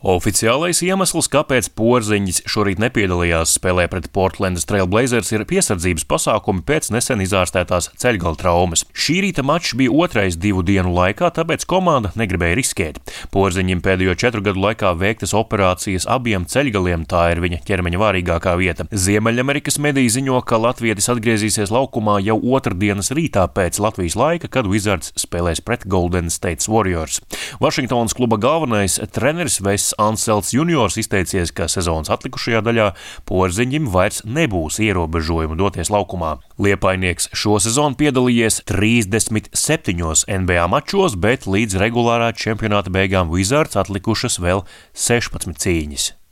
Oficiālais iemesls, kāpēc Porziņģis šorīt nepiedalījās spēlē pret Portlandas Trail Blazers, ir piesardzības pasākumi pēc nesen izārstētās ceļgala traumas. Šī rīta mačs bija otrais 2 dienu laikā, tāpēc komanda negribēja riskēt. Porziņģim pēdējo 4 gadu laikā veiktas operācijas abiem ceļgaliem, tā ir viņa ķermeņa vārīgākā vieta. Ziemeļamerikas mediji ziņo, ka latvietis atgriezīsies laukumā jau otrdienas rītā pēc Latvijas laika, kad Wizards spēlēs pret Golden State Warriors. Vašingtonas kluba galvenais treneris Anselts juniors izteicies, ka sezonas atlikušajā daļā Porziņģim vairs nebūs ierobežojumu doties laukumā. Liepainieks šo sezonu piedalījies 37 NBA mačos, bet līdz regulārā čempionāta beigām Wizards atlikušas vēl 16 cīņas.